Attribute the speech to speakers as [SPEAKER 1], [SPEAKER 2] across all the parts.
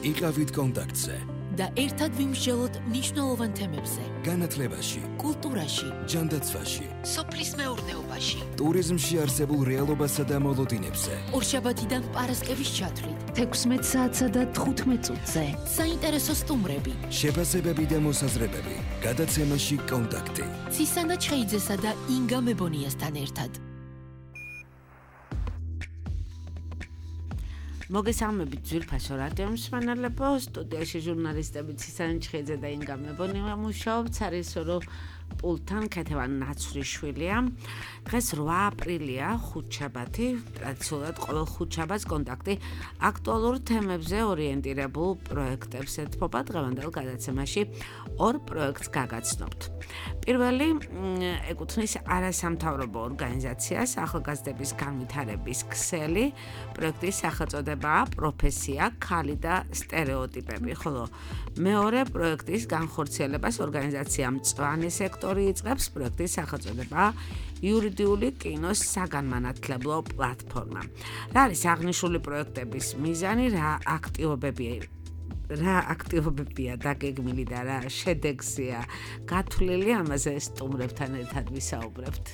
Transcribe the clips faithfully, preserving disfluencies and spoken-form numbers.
[SPEAKER 1] იყავით კონტაქტზე
[SPEAKER 2] და ერთად ვიმსჯელოთ მნიშვნელოვან თემებზე.
[SPEAKER 1] განათლებაში,
[SPEAKER 2] კულტურაში,
[SPEAKER 1] ჯანდაცვაში,
[SPEAKER 2] სოფლის მეურნეობაში,
[SPEAKER 1] ტურიზმში არსებულ რეალობასა და მოლოდინებზე.
[SPEAKER 2] ორშაბათიდან პარასკევის ჩათვლით,
[SPEAKER 3] თექვსმეტ საათსა და თხუთმეტ წუთზე.
[SPEAKER 2] საინტერესო სტუმრები,
[SPEAKER 1] შეფასებები და მოსაზრებები. გადაცემაში კონტაქტი.
[SPEAKER 2] ცისანა ჩხეიძესა და ინგა მებონიასთან ერთად.
[SPEAKER 4] მოგესალმებით ძვირფასო რადიო მსმენელებო, სტუდიაში ჟურნალისტები ცისანა ჩხეიძე და ინგა მებონია მუშაობთ, სარისორო პულტთან ქეთევან ნაცვლიშვილია. დღეს რვა აპრილია, ხუთშაბათი, ტრადიციულად ყოველ ხუთშაბათს კონტაქტი აქტუალურ თემებზე ორიენტირებულ პროექტებს ეთმობა. დღევანდელ გადაცემაში ორ პროექტს გაგაცნობთ. პირველი ეკუთვნის არასამთავრობო ორგანიზაციას ახალგაზრდების განვითარების ქსელი. პროექტის სახელწოდებაა პროფესია, ქალი და სტერეოტიპები, ხოლო მეორე პროექტის განხორციელებას ორგანიზაცია მწვანე სექტორი იწყებს. პროექტის სახელწოდებაა იურიდიული კინოს საგანმანათლებლო პლატფორმა. რა არის აღნიშნული პროექტების მიზანი, რა აქტივობებია რა აქტივობებია დაგეგმილი და რა შედეგზეა გათვლილი, ამაზე სტუმრებთან ერთად ვისაუბრებთ.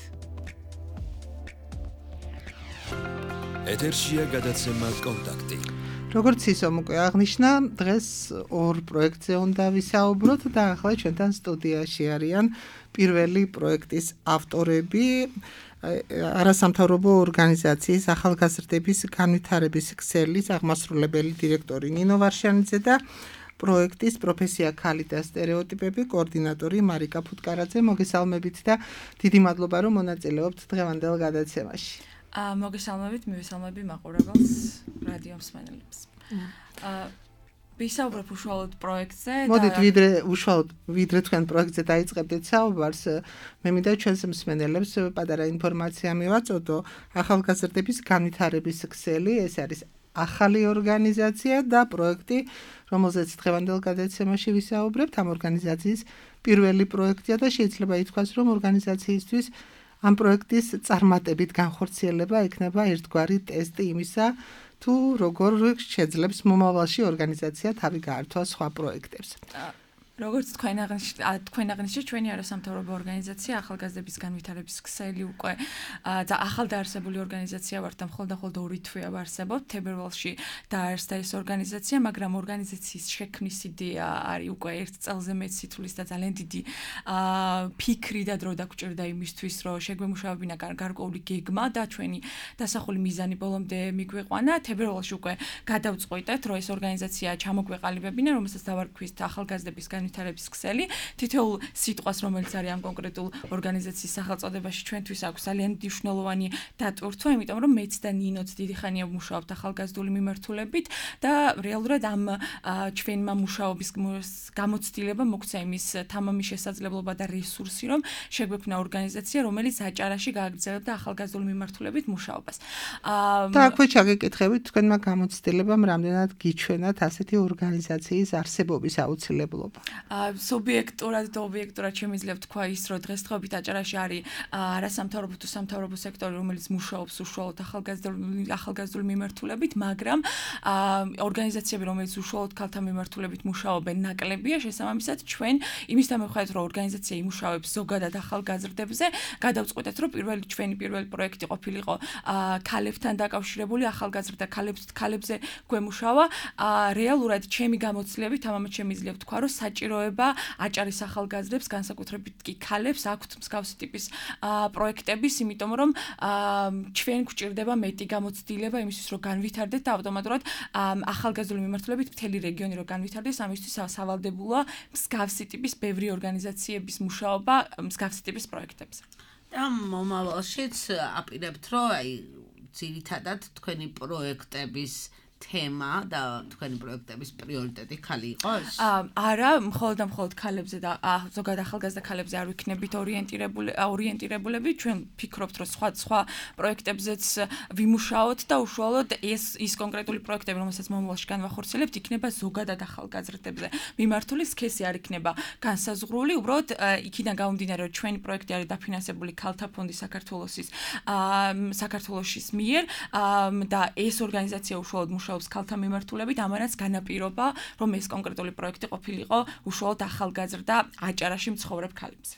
[SPEAKER 1] ეთერშია გადაცემა კონტაქტი.
[SPEAKER 5] როგორც ისომ უკვე აღნიშნა, დღეს ორ პროექტზე უნდა ვისაუბროთ და ახლა ჩვენთან სტუდიაში არიან პირველი პროექტის ავტორები, არასამთავრობო ორგანიზაციის ახალგაზრდების განვითარების ქსელის აღმასრულებელი დირექტორი ნინო ვარშანიძე და პროექტის პროფესია ქალი და სტერეოტიპები კოორდინატორი მარიკა ფუტკარაძე. მოგესალმებით და დიდი მადლობა რომ მონაწილეობთ დღევანდელ გადაცემაში.
[SPEAKER 6] მოგესალმებით, მივესალმები მაყურებელს, რადიო მსმენელებს. ვისაუბრებ უშუალოდ პროექტზე.
[SPEAKER 5] მოდით ვიდრე უშუალოდ ვიდრე თქვენ პროექტზე დაიწყებდით საუბარს, მე მინდა ჩვენს მსმენელებს პატარა ინფორმაცია მივაწოდო. ახალგაზრდების განვითარების ქსელი, ეს არის ახალი ორგანიზაცია და პროექტი, რომელზეც დღევანდელ გადაცემაში ვისაუბრებთ, ამ ორგანიზაციის პირველი პროექტია და შეიძლება ითქვას, რომ ორგანიზაციისთვის ამ პროექტის წარმატებით განხორციელება იქნება ერთგვარი ტესტი იმისა, თუ როგორ შეძლებს მომავალში ორგანიზაცია თავი გაართვა სხვა პროექტებს.
[SPEAKER 6] როგორც თქვენ თქვენ აღნიშნეთ, ჩვენი არასამთავრობო ორგანიზაცია ახალგაზრდების განვითარების ქსელი უკვე და ახალდაარსებული ორგანიზაცია ვართ და მხოლოდ და მხოლოდ ორი თვეა ვარსებობთ. თებერვალში დაარსდა ეს ორგანიზაცია, მაგრამ ორგანიზაციის შექმნის იდეა არის უკვე ერთ წელზე მეტ სიცოცხლის და ძალიან დიდი ფიქრი და დრო დაგჭირდა იმისთვის, რომ შეგვემუშავებინა გარკვეული გეგმა და ჩვენი დასახული მიზანი ბოლომდე მიგვიყვანა. თებერვალში უკვე გადავწყვიტეთ, რომ ეს ორგანიზაცია ჩამოგვეყალიბებინა, რომელსაც დავარქვით ახალგაზრდების განვითარების ქსელი. თითოეულ სიტყვას, რომელიც არის ამ კონკრეტულ ორგანიზაციის სახელწოდებაში, ჩვენთვის აქვს ძალიან მნიშვნელოვანი დატვირთვა, იმიტომ რომ მეც და ნინოც დიდი ხანია ვმუშაობთ ახალგაზრდული მიმართულებით და რეალურად ამ ჩვენმა მუშაობის გამოცდილება მოგვცა იმის თამამი შესაძლებლობა და რესურსი, რომ შეგვექმნა ორგანიზაცია, რომელიც აჭარაში გააგრძელებდა ახალგაზრდული მიმართულებით მუშაობას.
[SPEAKER 5] და აქვე ჩაგეკითხებით, თქვენმა გამოცდილებამ რამდენად გიჩვენათ ასეთი ორგანიზაციის არსებობის აუცილებლობა?
[SPEAKER 6] სუბიექტურად და ობიექტურად შემიძლია თქვა ის, რომ დღესდღეობით აჭარაში არის არასამთავრობო თუ სამთავრობო სექტორი, რომელიც მუშაობს უშუალოდ ახალგაზრდული მიმართულებით, მაგრამ ორგანიზაციები, რომელიც უშუალოდ ქალთა მიმართულებით მუშაობენ, ნაკლებია. შესაბამისად, ჩვენ იმის დამეხმარებით, რომ ორგანიზაცია იმუშავებს ზოგადად ახალგაზრდებზე, გადავწყვეტეთ, რომ პირველი ჩვენი პირველი პროექტი ყოფილიყო ქალებთან დაკავშირებული, ახალგაზრდა ქალებზე გვემუშავა. რეალურად ჩემი გამოცდილებით ამამაც შემიძლია ვთქვა, რომ საჭიროება აჭარის ახალგაზრდებს, განსაკუთრებით კი ქალებს აქვთ მსგავსი ტიპის პროექტების, იმიტომ რომ ჩვენ გვჭირდება მეტი გამოცდილება იმისთვის, რომ განვითარდეთ და ავტომატურად ახალგაზრდული მიმართულებით მთელი რეგიონი რომ განვითარდეს, ამისთვის სავალდებულოა მსგავსი ტიპის ბევრი ორგანიზაციების მუშაობა მსგავსი ტიპის პროექტებზე.
[SPEAKER 4] და მომავალშიც აპირებთ, რომ აი ძირითადად თქვენი პროექტების თემა და თქვენი პროექტების პრიორიტეტი ქალი იყოს?
[SPEAKER 6] არა, მხოლოდ და მხოლოდ ქალებზე და ზოგადად ახალგაზრდა ქალებზე არ ვიქნებით ორიენტირებული ორიენტირებულები. ჩვენ ფიქრობთ, რომ სხვა სხვა პროექტებზეც ვიმუშაოთ და უშუალოდ ეს ის კონკრეტული პროექტები, რომელსაც მომავალში განვახორციელებთ, იქნება ზოგადად ახალგაზრდებზე მიმართული, სქესი არ იქნება განსაზღვრული. უბრალოდ იქიდან გამომდინარე, რომ ჩვენი პროექტი არის დაფინანსებული ქალთა ფონდი საქართველოსის საქართველოსის მიერ და ეს ორგანიზაცია უშუალოდ მუშაობს მუშაობს ქალთა მიმართულებით, ამანაც განაპირობა, რომ ეს კონკრეტული პროექტი ყოფილიყო უშუალოდ ახალგაზრდა აჭარაში მცხოვრებ ქალებზე.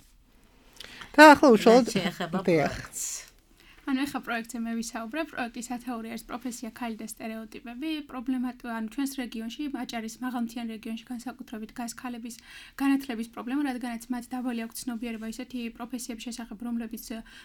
[SPEAKER 5] და ახლა უშუალოდ
[SPEAKER 4] შეეხება პროექტს.
[SPEAKER 7] ანუ ეხა პროექტზე მე ვისაუბრებ, პროექტის ათეორი არის პროფესია ქალი და სტერეოტიპები. პრობლემატი ანუ ჩვენს რეგიონში, აჭარის მაღალმთიან რეგიონში განსაკუთრებით დგას ქალების განათლების პრობლემა, რადგანაც მათ დაბალი აქვს ცნობიერება ისეთი პროფესიების შესახებ, რომლებიც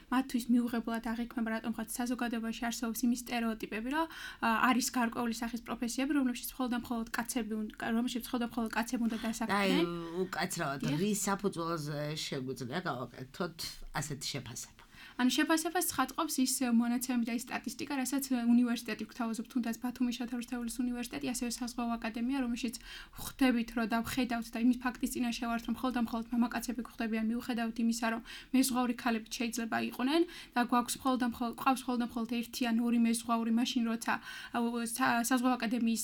[SPEAKER 7] მათთვის მიუღებლად აღიქმება, რატომღაც საზოგადოებაში არსებობს იმის სტერეოტიპები, რომ არის გარკვეული სახის პროფესიები, რომლებშიც მხოლოდ და მხოლოდ კაცები, რომლებშიც მხოლოდ და მხოლოდ კაცები უნდა დასაქმდნენ.
[SPEAKER 4] აი, უკაცრავად, რის საფუძველზე შეგვიძლია გავაკეთოთ ასეთი შეფასება?
[SPEAKER 7] ანუ შეფასებას ცხადყოფს ის მონაცემები და ის სტატისტიკა, რასაც უნივერსიტეტი გვთავაზობ, თუნდაც ბათუმის შოთა რუსთაველის უნივერსიტეტი, ასევე საზღვაო აკადემია, რომელშიც ხვდებით, რომ და ვხედავთ და იმის ფაქტის წინაშე ვართ, რომ მხოლოდ და მხოლოდ მამაკაცები გვხვდებიან, მიუხედავად იმისა, რომ მეზღვაური ქალები შეიძლება იყვნენ და გვაქვს მხოლოდ და მხოლოდ ყავს მხოლოდ და მხოლოდ ერთი ან ორი მეზღვაური, მაშინ როცა საზღვაო აკადემიის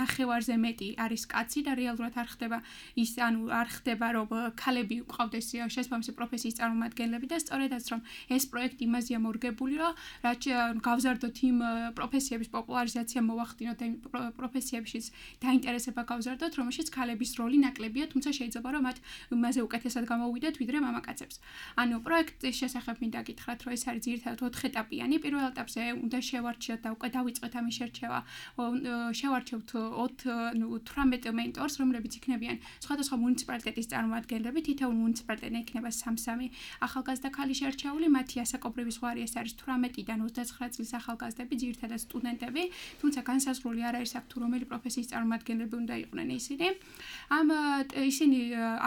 [SPEAKER 7] ნახევარზე მეტი არის კაცი და რეალურად არ ხდება ის, ანუ არ ხდება, რომ ქალები ყავდეს შესაბამისი პროფესიის წარმომადგენლები და სწორედაც რომ ეს პროექტი იმაზეა მორგებული, რომ რაც გავზარდოთ იმ პროფესიების პოპულარიზაცია მოვახდინოთ და იმ პროფესიებშიც დაინტერესება გავზარდოთ, რომელშიც ქალების როლი ნაკლებია, თუმცა შეიძლება რომ მათ იმაზე უკეთესად გამოვიდეთ, ვიდრე მამაკაცებს. ანუ პროექტის შესახებ მინდა გითხრათ, რომ ეს არის ძირითადად ოთხ ეტაპიანი. პირველ ეტაპზე უნდა შევარჩიოთ და უკვე დავიწყეთ ამის შერჩევა. შევარჩევთ თვრამეტ მენტორს, რომლებიც იქნებიან სხვადასხვა მუნიციპალიტეტის წარმომადგენლები, თითოეულ მუნიციპალიტეტზე იქნება სამ-სამი ახალგაზრდა ქალი შერჩეული. მათი ასაკობრივი ზღვარი ეს არის თვრამეტიდან ოცდაცხრა წლის ახალგაზრდები, ძირითადად სტუდენტები, თუმცა განსაზღვრული არ არის აქ თუ რომელი პროფესიის წარმომადგენლები უნდა იყვნენ ისინი. ამ ისინი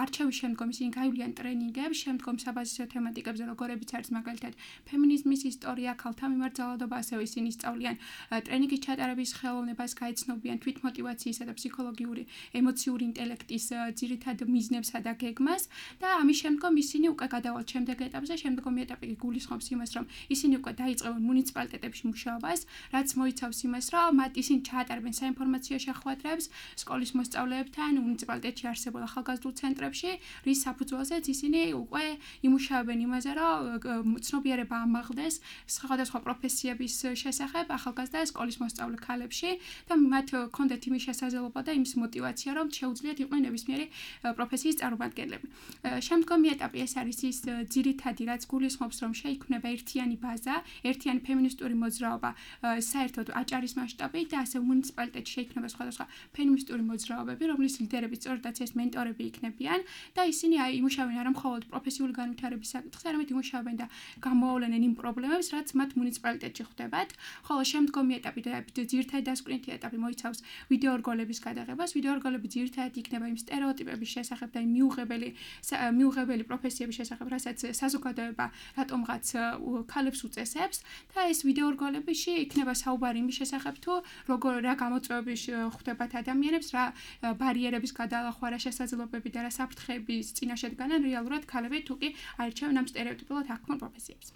[SPEAKER 7] არჩევის შემდგომ ისინი გაივლიან ტრენინგებს, შემდგომ საბაზისო თემატიკებზე, როგორებიც არის მაგალითად ფემინიზმის ისტორია, ქალთა მიმართულება, ასევე ისინი სწავლიან ტრენინგის ჩატარების ხელოვნებას, გაეცნობიან თვითმოტივაციისა და ფსიქოლოგიური, ემოციური ინტელექტის ძირითად მიზნებსა და გეგმას და ამის შემდგომ ისინი უკვე გადავალთ შემდეგ ეტაპზე, შემდგომი ეტაპი გულისხმობს იმას, რომ ისინი უკვე დაიწყებენ მუნიციპალიტეტებში მუშაობას, რაც მოიცავს იმას, რომ მათ ისინი ჩაატარებენ საინფორმაციო შეხვედრებს სკოლის მოსწავლეებთან, მუნიციპალიტეტში არსებულ ახალგაზრდულ ცენტრებში, რის საფუძველზეც ისინი უკვე იმუშავებენ იმაზე, რომ ცნობიერება ამაღლდეს სხვადასხვა პროფესიების შესახებ ახალგაზრდა სკოლის მოსწავლე ქალებში და მათ ჰქონდეთ იმის შესაძლებლობა და იმის мотиваცია, რომ შეუძლიათ იყვნენ ნებისმიერი პროფესიის წარმომადგენლები. შემდგომი ეტაპი ეს არის ის ძირითადი, რაც გულისხმობს, რომ შეიქმნება ერთიანი ბაზა, ერთიანი ფემინისტური მოძრაობა, საერთოდ აჭარის მასშტაბით და ასევე მუნიციპალიტეტში შეიქმნება სხვადასხვა ფემინისტური მოძრაობები, რომლის ლიდერები სწორედაც ეს მენტორები იქნებიან და ისინი იმუშავებენ არა მხოლოდ პროფესიული განვითარების საკითხზე, არამედ იმუშავებენ და გამოავლენენ იმ პრობლემებს, რაც მათ მუნიციპალიტეტში ხვდებათ. ხოლო შემდგომი ეტაპი და ძირითადი დასკვნითი ეტაპი მოიცავს ვიდეორგოლების გადაღებას. ვიდეორგოლები ძირითადად იქნება იმ სტერეოტიპების შესახებ და იმ მიუღებელი მიუღებელი პროფესიების შესახებ, რასაც საზოგადოება რატომღაც ქალებს უწესებს და ეს ვიდეორგოლებიში იქნება საუბარი იმის შესახებ თუ როგორ რა გამოწვევები ხვდებათ ადამიანებს, რა ბარიერების გადალახვა, რა შესაძლებლობები და რა საფრთხეების წინაშე დგანან რეალურად ქალები თუ კი აირჩევენ ამ სტერეოტიპულად აღქმულ პროფესიებს.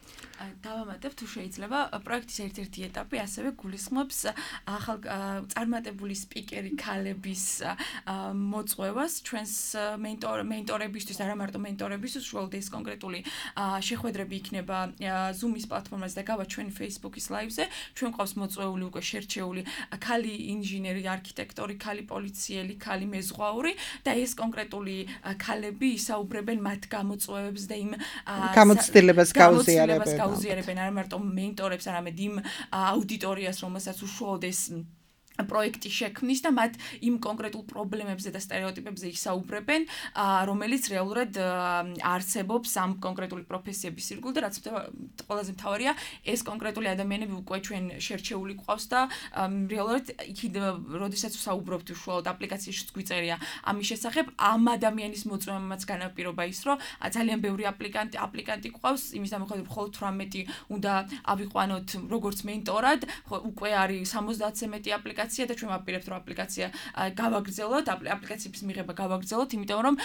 [SPEAKER 6] დავამატებ თუ შეიძლება, პროექტის ერთ-ერთი ეტაპი ასევე გულისხმობს ახალ წარმატებული სპიკერი ქალების მოწვევას ჩვენს მენტორ მენტორებისთვის, არა მარტო მენტორებისთვის, უშუალოდ ეს კონკრეტული შეხვედრები იქნება Zoom-ის პლატფორმაზე და გავა ჩვენი Facebook-ის live-ზე. ჩვენ ყავს მოწვეული უკვე შერჩეული ქალი ინჟინერი, არქიტექტორი, ქალი პოლიციელი, ქალი მეზღვაური და ეს კონკრეტული ქალები ისაუბრებენ მათ გამოწვევებს და იმ
[SPEAKER 5] გამოცდილებას გაუზიარებენ.
[SPEAKER 6] გაუზიარებენ არა მარტო მენტორებს, არამედ იმ აუდიტორიას, რომელსაც უშუალოდ ეს პროექტი შექმნის და მათ იმ კონკრეტულ პრობლემებზე და სტერეოტიპებზე ისაუბრებენ, რომელიც რეალურად არსებობს ამ კონკრეტული პროფესიების ირგვლივ და რაც ყველაზე მთავარია, ეს კონკრეტული ადამიანები უკვე ჩვენ შერჩეული ყავს და რეალურად იქ როდესაც ვსაუბრობთ უშუალოდ აპლიკაციაშიც გვიწერია ამის შესახებ, ამ ადამიანის მოწვევამაც განაპირობა ის, რომ ძალიან ბევრი აპლიკანტი აპლიკანტი ყავს, იმის დამოუკიდებლად მხოლოდ თვრამეტი უნდა ავიყვანოთ როგორც მენტორად, უკვე არის სამოცდაათზე მეტი აპლიკაცია და ჩვენ ვაპირებთ რომ აპლიკაცია გავაგრძელოთ, აპლიკაციების მიღება გავაგრძელოთ, იმიტომ რომ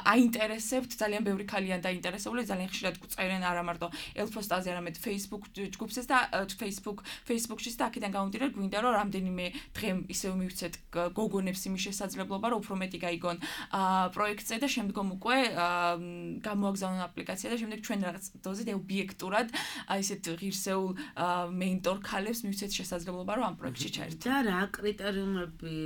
[SPEAKER 6] აინტერესებთ ძალიან ბევრი ქალიან დაინტერესებული, ძალიან ხშირად გვწერენ არა მარტო ელფოსტაზე, არამედ Facebook ჯგუფზეც და Facebook Facebook-შიც და აქედან გამომდინარე გვინდა რომ რამდენიმე დღე ისევ მივცეთ გოგონებს იმის შესაძლებლობა, რომ უფრო მეტი გაიგონ პროექტზე და შემდგომ უკვე გამოაგზავნონ აპლიკაცია და შემდეგ ჩვენ რაღაც დოზით ობიექტურად ისეთ ღირსეულ მენტორ ქალებს მივცეთ შესაძლებლობა, რომ ამ პროექტში ჩაერთონ.
[SPEAKER 4] და რა კრიტერიუმები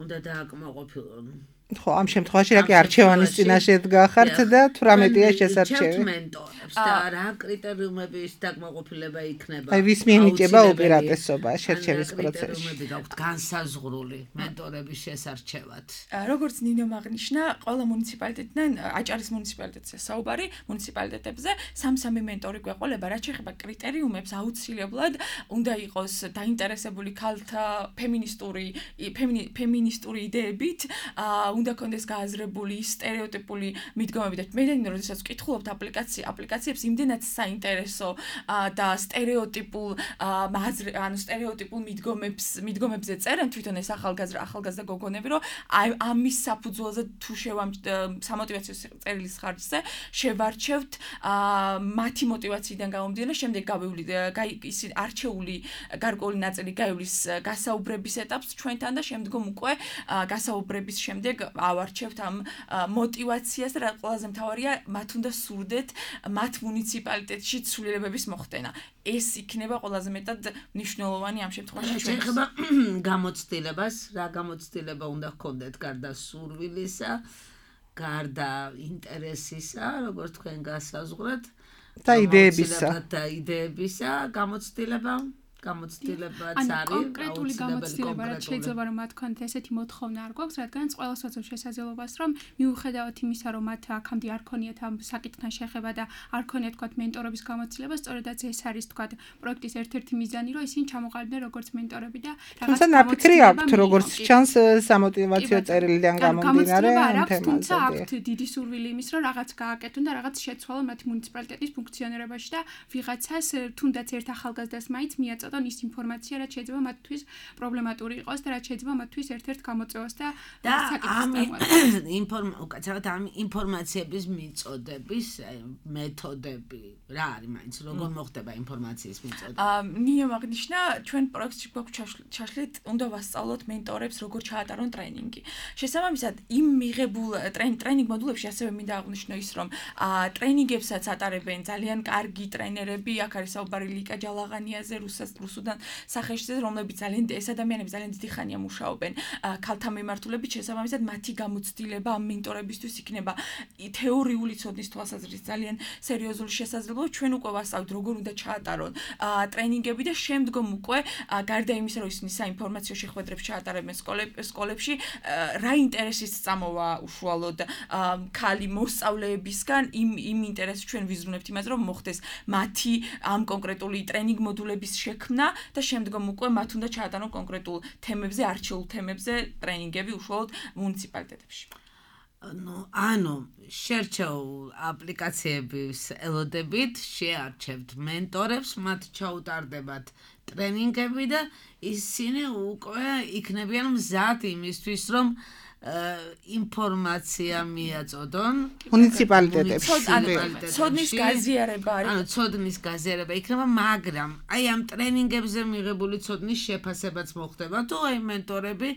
[SPEAKER 4] უნდა დააკმაყოფილონ?
[SPEAKER 5] ხო, ამ შემთხვევაში რა კი არჩევანის წინაშე დგახართ და თვრამეტია შესარჩევი.
[SPEAKER 4] მენტორებს და რა კრიტერიუმების დაკმაყოფილება იქნება?
[SPEAKER 5] აი ვის მიენიჭება უპირატესობა შერჩევის პროცესში?
[SPEAKER 4] კრიტერიუმები გაქვთ განსაზღვრული მენტორების შესარჩევად.
[SPEAKER 6] როგორც ნინომ აღნიშნა, ყველა მუნიციპალიტეტიდან აჭარის მუნიციპალიტეტზე საუბარი, მუნიციპალიტეტებზე სამ-სამი მენტორი გვეყოლება, რაც შეეხება კრიტერიუმებს, აუცილებლად უნდა იყოს დაინტერესებული ქალთა ფემინისტური ფემინისტური იდეებით, უნდა კონდეს გააზრებული სტერეოტიპული მიდგომები და მე და როდესაც ვკითხულობთ აპლიკაცია აპლიკაციებს იმდენად საინტერესო და სტერეოტიპულ ანუ სტერეოტიპულ მიდგომებს მიდგომებზე წერენ თვითონ ეს ახალგაზრდა ახალგაზრდა გოგონები რომ ამის საფუძველზე თუ სამოტივაციო წერილის ხარჯზე შევარჩევთ მათი მოტივაციიდან გამომდინარე შემდეგ გავივლით ისინი არჩეული გარკვეული ნაწილი გაივლის გასაუბრების ეტაპს ჩვენთან და შემდგომ უკვე გასაუბრების შემდეგ ავარჩევთ ამ მოტივაციას და ყველაზე მთავარია მათ უნდა სურდეთ მათ მუნიციპალიტეტში ცვლილებების მოხდენა. ეს იქნება ყველაზე მეტად მნიშვნელოვანი ამ შემთხვევაში.
[SPEAKER 4] შეიძლება გამოცდილებას, რა გამოცდილება უნდა ჰქონდეთ გარდა სურვილისა, გარდა ინტერესისა, როგორც თქვენ გასაზღვრეთ
[SPEAKER 5] და იდეებისა
[SPEAKER 4] და იდეებისა გამოცდილება გამოცდილებაც არის
[SPEAKER 7] კონკრეტული გამოცდილება რაც შეიძლება რომ მათ კონთ ესეთი მოთხოვნა არ გვაქვს რადგანაც ყველას ვაცობ შესაძლებლობას რომ მიუხედავად იმისა რომ მათ აქამდე არ ქონიათ ამ საკითხთან შეხება და არ ქონიათ თქვათ მენტორობის გამოცდილება სწორედაც ეს არის თქვათ პროექტის ერთ-ერთი მიზანი რომ ისინი ჩამოყალიბდნენ როგორც მენტორები და
[SPEAKER 5] რაღაც ნაფიქრი აქვთ როგორც ჩანს სამოტივაციო წერილიდან გამომდინარე ამ თემაზე
[SPEAKER 7] თუმცა აქვთ დიდი სურვილი იმის რომ რაღაც გააკეთონ და რაღაც შეცვალონ მათი მუნიციპალიტეტის ფუნქციონირებაში და ვიღაცას თუნდაც ერთ ახალგაზრდას მაინც მიაწოდონ ის ინფორმაცია რაც შეიძლება მათთვის პრობლემატური იყოს და რაც შეიძლება მათთვის ერთ-ერთ გამოწვევას და
[SPEAKER 4] ინფორმ უკაცრავად ამ ინფორმაციების მიწოდების მეთოდები რა არის მაინც როგორ მოხდება ინფორმაციის მიწოდება?
[SPEAKER 6] ნინომ აღნიშნა ჩვენ პროექტში გვაქვს ჩაშლით უნდა ვასწავლოთ მენტორებს როგორ ჩაატარონ ტრენინგი. შესაბამისად იმ მიღებულ ტრენინგ მოდულებში ასევე მინდა აღნიშნო ის რომ ტრენინგებსაც ატარებენ ძალიან კარგი ტრენერები, აქ არის საუბარი ლიკა ჯალაღანიაზე, რუსუდან სახეშზე, რომლებიც ძალიან ეს ადამიანები ძალიან დიდი ხანია მუშაობენ ქალთა მიმართულებით, შესაბამისად მათი გამოცდილება ამ მენტორებისთვის იქნება თეორიული ცოდნის თვალსაზრისით ძალიან სერიოზული შესაძლებლობა. ჩვენ უკვე ვასწავლით როგორ უნდა ჩაატარონ ტრენინგები და შემდგომ უკვე გარდა იმისა რომ ისინი საინფორმაციო შეხვედრებს ჩაატარებენ სკოლებში რა ინტერესის წამოვა უშუალოდ ქალი მოსწავლეებისგან იმ იმ ინტერესს ჩვენ ვიზრუნებთ იმაზე რომ მოხდეს მათი ამ კონკრეტული ტრენინგ მოდულების შექმნა და შემდგომ უკვე მათ უნდა ჩაატარონ კონკრეტულ თემებზე, არჩეულ თემებზე ტრენინგები უშუალოდ მუნიციპალიტეტებში.
[SPEAKER 4] ну, ანუ შერჩეულ აპლიკაციების ელოდებით შეარჩევთ მენტორებს, მათ ჩაუტარდებათ ტრენინგები და ისინი უკვე იქნებიან მზად იმისთვის, რომ ინფორმაცია მიაწოდონ
[SPEAKER 5] მუნიციპალიტეტებში.
[SPEAKER 6] ცოდნის გაზიარება არის.
[SPEAKER 4] ანუ ცოდნის გაზიარება იქნება, მაგრამ აი ამ ტრენინგებზე მიღებული ცოდნის შეფასებაც მოხდება, თუ აი მენტორები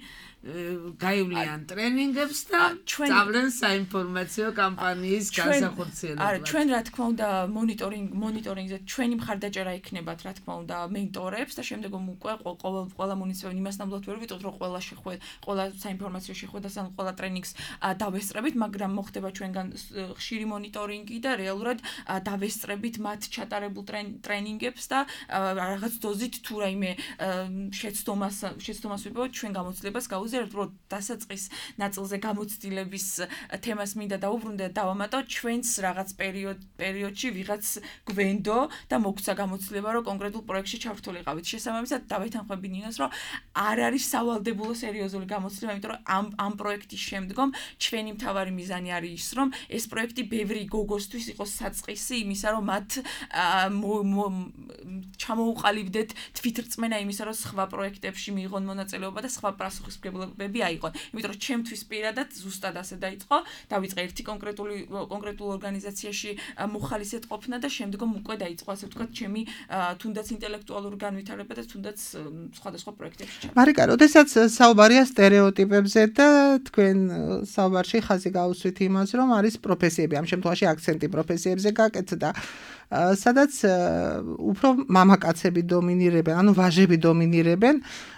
[SPEAKER 4] გაივლიან ტრენინგებს და სწავლენ საინფორმაციო კამპანიის განსახორციელებლად.
[SPEAKER 6] არა, ჩვენ რა თქმა უნდა მონიტორინგ მონიტორინგზე ჩვენი მხარდაჭერა იქნებათ, რა თქმა უნდა, მენტორებს და შემდგომ უკვე ყოველ ყველა მუნიციპალიტეტი იმას ნამდვილად ვერ ვიტყვით, რომ ყველა შეხვედრა, ყველა საინფორმაციო შეხვედრას ან ყველა ტრენინგს დავესწრებით, მაგრამ მოხდება ჩვენგან ხშირი მონიტორინგი და რეალურად დავესწრებით მათ ჩატარებულ ტრენინგებს და რაღაც დოზით თუ რაიმე შეცდომას შეცდომას ვიპოვოთ ჩვენ გამოცდილებას გავუზიარებთ, რომ დასაწყის ნაწილზე გამოცდილების თემას მინდა დაუბრუნდე და დავამატო ჩვენს რაღაც პერიოდ პერიოდში ვიღაც გვენდო და მოგცა გამოცდილება რომ კონკრეტულ პროექტში ჩავრთულიყავით. შესაბამისად დავეთანხმები ნინოს რომ არ არის სავალდებულო სერიოზული გამოცდილება, იმიტომ რომ ამ ამ პროექტის შემდგომ ჩვენი მთავარი მიზანი არის ის, რომ ეს პროექტი ბევრი გოგოსთვის იყოს საწყისი იმისა, რომ მათ ჩამოუყალიბდეთ თვითრწმენა იმისა, რომ სხვა პროექტებში მიიღონ მონაწილეობა და სხვა პასუხისმგებლობები აიღონ. იმიტომ რომ ჩემთვის პირადად ზუსტად ასე დაიწყო, დავიწყე ერთი კონკრეტული კონკრეტულ ორგანიზაციაში მოხალისედ ყოფნა და შემდგომ უკვე დაიწყო ასე ვთქვათ ჩემი თუნდაც ინტელექტუალური განვითარება და თუნდაც სხვადასხვა პროექტებში ჩაბმა.
[SPEAKER 5] მარიკა, როდესაც საუბარია სტერეოტიპებზე და თქვენ საუბარში ხაზი გაუსვით იმას, რომ არის პროფესიები, ამ შემთხვევაში აქცენტი პროფესიებზე გაკეთდა, სადაც უფრო მამაკაცები დომინირებენ, ანუ ვაჟები დომინირებენ.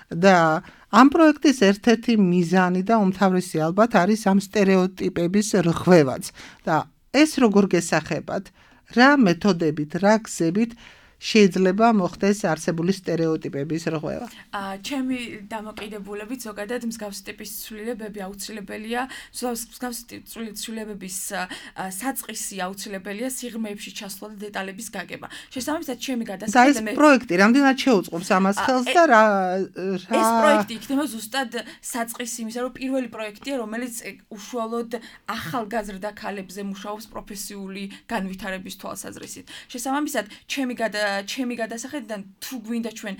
[SPEAKER 5] და ამ პროექტის ერთ-ერთი მიზანი და უმთავრესი ალბათ არის ამ სტერეოტიპების რღვევაც და ეს როგორ გესახებათ, რა მეთოდებით, რა გზებით შეიძლება მოხდეს არსებული სტერეოტიპების რღვევა.
[SPEAKER 6] აა ჩემი დამოკიდებულებით ზოგადად მსგავსი ტიპის ცვლილებები აუცილებელია, მსგავსი ტიპის ცვლილებების საწყისი აუცილებელია სიღრმეებში ჩასვლა და დეტალების გაგება. შესაბამისად, ჩემი გადასახადი
[SPEAKER 5] მე პროექტი რამდენად შეუწყობს ამას ხელს და რა
[SPEAKER 6] ეს პროექტი იქნება ზუსტად საწყისი იმისა, რომ პირველი პროექტია, რომელიც უშუალოდ ახალგაზრდა ქალებზე მუშაობს პროფესიული განვითარების თვალსაზრისით. შესაბამისად, ჩემი გადა ჩემი გადასახედიდან თუ გვინდა ჩვენ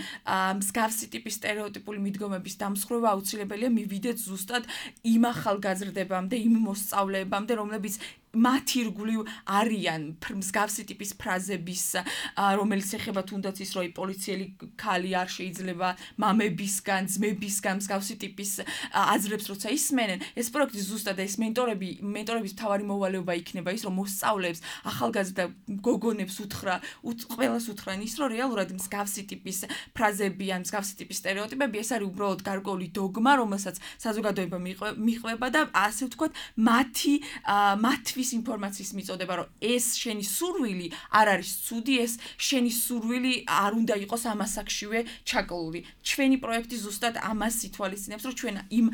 [SPEAKER 6] მსგავსი ტიპის სტერეოტიპული მიდგომების დამსხვრევა აუცილებელია მივიდეთ ზუსტად იმ ახალგაზრდებამდე, იმ მოსწავლეებამდე, რომლებიც მათ ირგვლივ არიან მსგავსი ტიპის ფრაზების, რომელიც ეხება თუნდაც ის, რომ პოლიციელი ქალი არ შეიძლება მამებისგან, ძმებისგან მსგავსი ტიპის აზრებს როცა ისმენენ, ეს პროექტი ზუსტად ეს მენტორები, მენტორების მთავარი მოვალეობა იქნება ის, რომ მოსწავლეებს, ახალგაზრდა გოგონებს უთხრა, ყველას უთხრან ის, რომ რეალურად მსგავსი ტიპის ფრაზები ან მსგავსი ტიპის სტერეოტიპები ეს არის უბრალოდ გარკვეული დოგმა, რომელსაც საზოგადოება მიყვება და ასე ვთქვათ, მათი მათი ის ინფორმაციის მიწოდება, რომ ეს შენი სურვილი არ არის ცუდი, ეს შენი სურვილი არ უნდა იყოს ამასაკშივე ჩაკლული. ჩვენი პროექტი ზუსტად ამას ითვალისწინებს, რომ ჩვენ იმ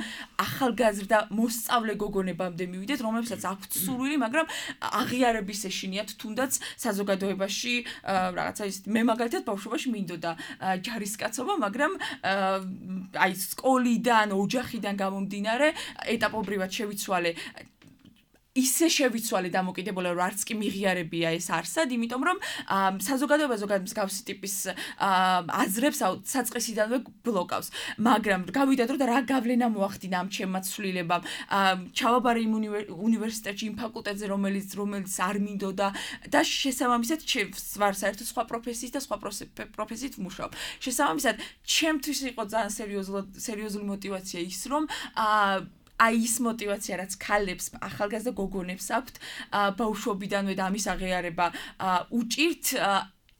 [SPEAKER 6] ახალგაზრდა მოსწავლე გოგონებამდე მივიდეთ, რომლებსაც აქვთ სურვილი, მაგრამ აღიარების ეშინიათ თუნდაც საზოგადოებაში რაღაცა ის მე მაგალითად ბავშვობაში მინდოდა ჯარისკაცობა, მაგრამ აი სკოლიდან, ოჯახიდან გამომდინარე ეტაპობრივად შევიცვალე ისე შევიცვალე დამოკიდებულა რომ არც კი მიღიარებია ეს არსად, იმიტომ რომ საზოგადოება ზოგადად მსგავსი ტიპის აზრებს საწყისიდანვე ბლოკავს. მაგრამ გავიდათ რომ რა გავლენა მოახდინა ამ ჩემმა ცვლილებამ. ჩავაბარე იმ უნივერსიტეტში იმ ფაკულტეტზე, რომელიც რომელიც არ მინდოდა და შესაბამისად ვარ საერთოდ სხვა პროფესიის და სხვა პროფესიით ვმუშაობ. შესაბამისად, ჩემთვის იყო ძალიან სერიოზული მოტივაცია ის, რომ აი ის მოტივაცია, რაც ქალებს, ახალგაზრდა გოგონებს აქვთ, ბავშვობიდანვე და ამის აღიარება უჭირთ,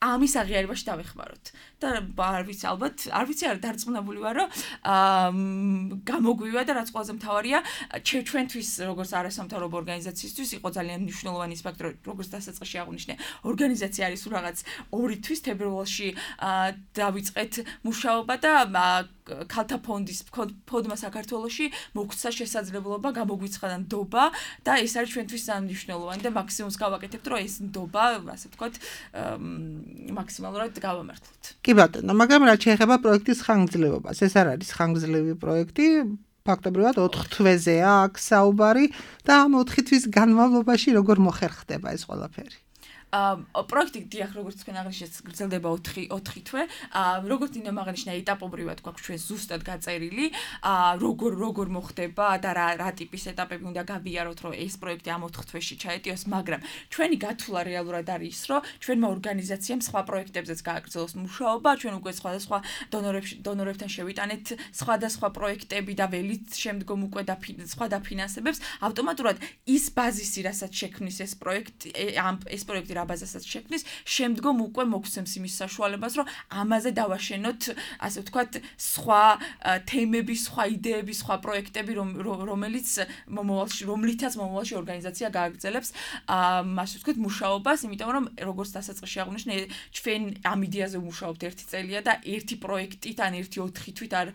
[SPEAKER 6] ამის აღიარებაში დავეხმაროთ. და არ ვიცი, ალბათ, არ ვიცი, არ დარწმუნებული ვარ, რომ გამოგვივა და რაც ყველაზე მთავარია, ჩვენთვის, როგორც არასამთავრობო ორგანიზაციისთვის, იყო ძალიან მნიშვნელოვანი ის ფაქტი, რომ როგორც დასაწყისში აღვნიშნე, ორგანიზაცია არის რაღაც ორი თვის თებერვალში დავიწყეთ მუშაობა და ქალთა ფონდის ფონდმა საქართველოში მოგვცა შესაძლებლობა გამოგვიცხადა ნდობა და ეს არის ჩვენთვის ძალიან მნიშვნელოვანი და მაქსიმუმს გავაკეთებთ, რომ ეს ნდობა, ასე ვთქვათ, მაქსიმალურად გავამართლოთ.
[SPEAKER 5] კი ბატონო, მაგრამ რაც შეეხება პროექტის ხანგრძლივობას, ეს არ არის ხანგრძლივი პროექტი, ფაქტობრივად ოთხ თვეზეა აქ საუბარი და ამ ოთხი თვის განმავლობაში როგორ მოხერხდება ეს ყველაფერი?
[SPEAKER 6] პროექტი დიახ, როგორც თქვენ აღნიშნეთ, გრძელდება ოთხი თვე. როგორც ნინო აღნიშნა, ეტაპობრივად გვაქვს ჩვენ ზუსტად გაწერილი, როგორ როგორ მოხდება და რა რა ტიპის ეტაპები უნდა გავიაროთ, რომ ეს პროექტი ამ ოთხ თვეში ჩაეტიოს, მაგრამ ჩვენი გათვლა რეალურად არის ის, რომ ჩვენმა ორგანიზაციამ სხვა პროექტებზეც გააგრძელოს მუშაობა, ჩვენ უკვე სხვადასხვა დონორებთან შევიტანეთ სხვადასხვა პროექტები და ველით შემდგომ უკვე სხვა დაფინანსებებს, ავტომატურად ის ბაზისი, რასაც შექმნის ეს პროექტი, ეს პროექტი ბაზასაც შექმნის, შემდგომ უკვე მოგვცემს იმის საშუალებას, რომ ამაზე დავაშენოთ, ასე ვთქვათ, სხვა თემები, სხვა იდეები, სხვა პროექტები, რომელიც მომავალში, რომლითაც მომავალში ორგანიზაცია გააგრძელებს, ასე ვთქვათ, მუშაობას, იმიტომ რომ როგორც დასაწყისში აღვნიშნე, ჩვენ ამ იდეაზე ვმუშაობთ ერთი წელია და ერთი პროექტით ან ერთი ოთხი თვით არ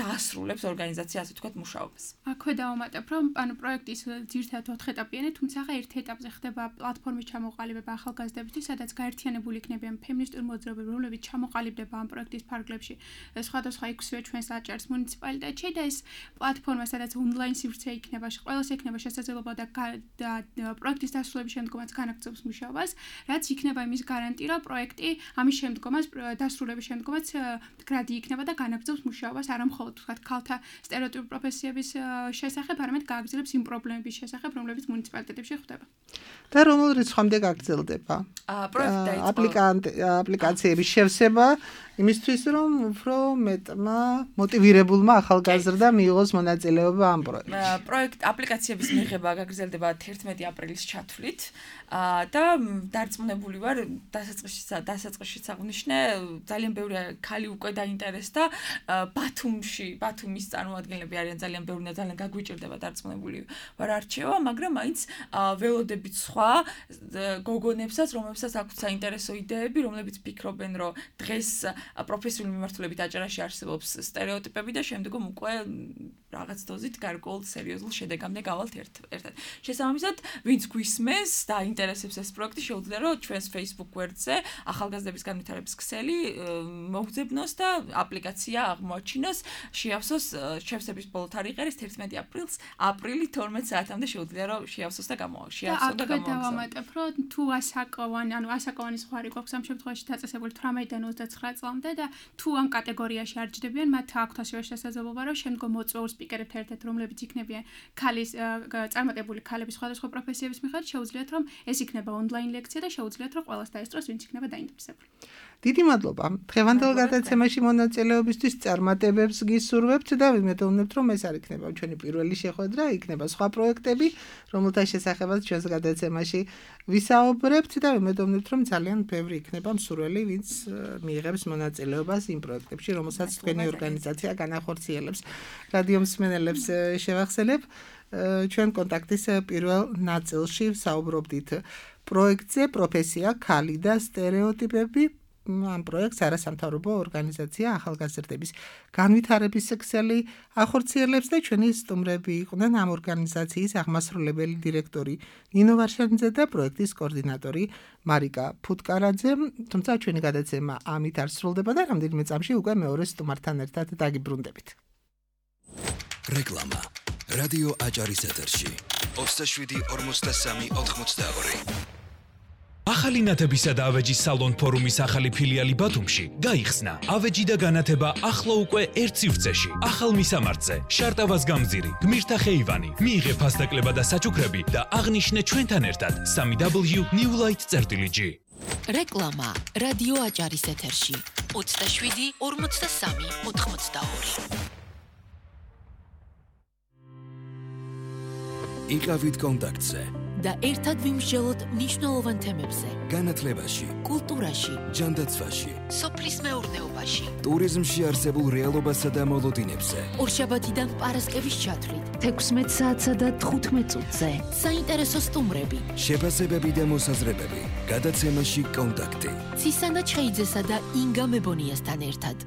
[SPEAKER 6] დაასრულებს ორგანიზაცია, ასე ვთქვათ, მუშაობას.
[SPEAKER 7] აქვე დავამატებ, რომ ანუ პროექტის ძირითადად ოთხ ეტაპიანია, თუმცა ერთ ეტაპზე ხდება პლატფორმის ჩამოყალიბება ახალგაზრდებისთვის, სადაც გაერთიანებული იქნებიან ფემინისტური მოძრაობები, რომლებიც ჩამოყალიბდება ამ პროექტის ფარგლებში, სხვადასხვა ექვსივე ჩვენს აჭარს მუნიციპალიტეტში და ეს პლატფორმა, სადაც ონლაინ სივრცე იქნება, ყველას ექნება შესაძლებლობა და პროექტის დასრულების შემდგომაც განაგრძობს მუშაობას, რაც იქნება იმის გარანტი, რომ პროექტი ამის შემდგომაც დასრულების შემდგომაც გრადი იქნება და განაგრძობს მუშაობას, არა მხოლოდ ვთქვათ, ქალთა სტერეოტიპური პროფესიების შესახებ, არამედ გააგრძელებს იმ პრობლემების შესახებ, რომლებიც მუნიციპალიტეტებში ხდება.
[SPEAKER 5] და რომელ რიცხვამდე გაგრძელდება გრძელდება?
[SPEAKER 6] პროექტი
[SPEAKER 5] აპლიკანტ აპლიკაციების შევსება იმისთვის რომ უფრო მეტმა მოტივირებულმა ახალგაზრდა მიიღოს მონაწილეობა ამ პროექტში.
[SPEAKER 6] პროექტ აპლიკაციების მიღება გაგრძელდება თერთმეტი აპრილის ჩათვლით და დარწმუნებული ვარ დასაწყისში დასაწყისში საღვნიშნე ძალიან ბევრი ქალი უკვე დაინტერესდა ბათუმში ბათუმის წარმოადგენლები არიან ძალიან ბევრი და ძალიან გაგვიჭირდება დარწმუნებული ვარ არჩევა მაგრამ მაინც ველოდებით სხვა გოგონებსაც რომლებსაც აქვთ საინტერესო იდეები რომლებიც ფიქრობენ რომ დღეს პროფესიული მიმართულებით აჭარაში არსებობს სტერეოტიპები და შემდგომ უკვე რაღაც დოზით გარკვეულ სერიოზულ შედეგამდე გავალთ ერთად. შესაბამისად, ვინც გვისმენს და ინტერესებს ეს პროექტი, შეუძლია რომ ჩვენს Facebook გვერდზე ახალგაზრდების განვითარების ქსელი მოგძებნოს და აპლიკაცია აღმოაჩინოს, შეავსოს შევსების ბოლო თარიღი არის თერთმეტი აპრილს, აპრილი თორმეტ საათამდე შეუძლია რომ შეავსოს და გამოაშიავსოს და
[SPEAKER 7] გამოვაგზავნოს. და დავამატებ, რომ თუ ასაკოვანი, ანუ ასაკოვანი ზღვარი გვაქვს ამ შემთხვევაში დაწესებული თვრამეტიდან ოცდაცხრა წლამდე და თუ ამ კატეგორიაში არ ჯდებიან, მათ აქვთ ასევე შესაძლებლობა რომ შემდგომ მოწვეულ სპიკერებთან ერთად, რომლებიც იქნებიან ქალის წარმატებული ქალების სხვადასხვა პროფესიების მიხედვით, შეუძლიათ რომ ეს იქნება ონლაინ ლექცია და შეუძლიათ რომ ყველას დაესწროს, ვინც იქნება დაინტერესებული.
[SPEAKER 5] დიდი მადლობა. დღევანდელ გადაცემაში მონაწილეობისთვის წარმატებებს გისურვებთ და ვიმედოვნებთ, რომ ეს არ იქნება ჩვენი პირველი შეხვედრა, იქნება სხვა პროექტები, რომელთა შესახებაც ჩვენს გადაცემაში ვისაუბრებთ და ვიმედოვნებთ, რომ ძალიან ბევრი იქნება მსურველი, ვინც მიიღებს მონაწილეობას იმ პროექტებში, რომელსაც თქვენი ორგანიზაცია განახორციელებს. რადიო მსმენელებს შევახსენებ, ჩვენ კონტაქტის პირველ ნაწილში ვსაუბრობდით პროექტზე პროფესია, ქალი და სტერეოტიპები. ამ პროექტს არასამთავრობო ორგანიზაცია ახალგაზრდების განვითარების ქსელი ახორციელებს და ჩვენი სტუმრები იყვნენ ამ ორგანიზაციის აღმასრულებელი დირექტორი ნინო ვარშანიძე და პროექტის კოორდინატორი მარიკა ფუტკარაძე. თუმცა ჩვენი გადაცემა ამით არ სრულდება და რამდენიმე წამში უკვე მეორე სტუმართან ერთად დაგიბრუნდებით.
[SPEAKER 1] რეკლამა რადიო აჭარის ეთერში ოცდაშვიდი ორმოცდასამი ოთხმოცდაორი.
[SPEAKER 8] ახალი ნათებისა და ავეჯის სალონ ფორუმის ახალი ფილიალი ბათუმში გაიხსნა. ავეჯი და განათება ახლა უკვე ერთ სივრცეში. ახალ მისამართზე, შარტავას გამზირი, გმირთა ხეივანი. მიიღე ფასდაკლება და საჩუქრები და აღნიშნე ჩვენთან ერთად სამი დაბლიუ ნიუ ლაით წერტილი ჯი.
[SPEAKER 2] რეკლამა რადიო აჭარის ეთერში ოცდაშვიდი ორმოცდასამი ოთხმოცდაორი.
[SPEAKER 1] იყავით კონტაქტზე
[SPEAKER 2] და ერთად ვიმსჯელოთ მნიშვნელოვან თემებზე.
[SPEAKER 1] განათლებაში,
[SPEAKER 2] კულტურაში,
[SPEAKER 1] ჯანდაცვაში,
[SPEAKER 2] სოფლის მეურნეობაში,
[SPEAKER 1] ტურიზმში არსებულ რეალობასა და მოლოდინებზე.
[SPEAKER 2] ორშაბათიდან პარასკევის ჩათვლით,
[SPEAKER 3] თექვსმეტ საათსა და თხუთმეტ წუთზე.
[SPEAKER 2] საინტერესო სტუმრები,
[SPEAKER 1] შეფასებები და მოსაზრებები. გადაცემაში კონტაქტი.
[SPEAKER 2] ცისანა ჩხეიძესა და ინგა მებონიასთან ერთად.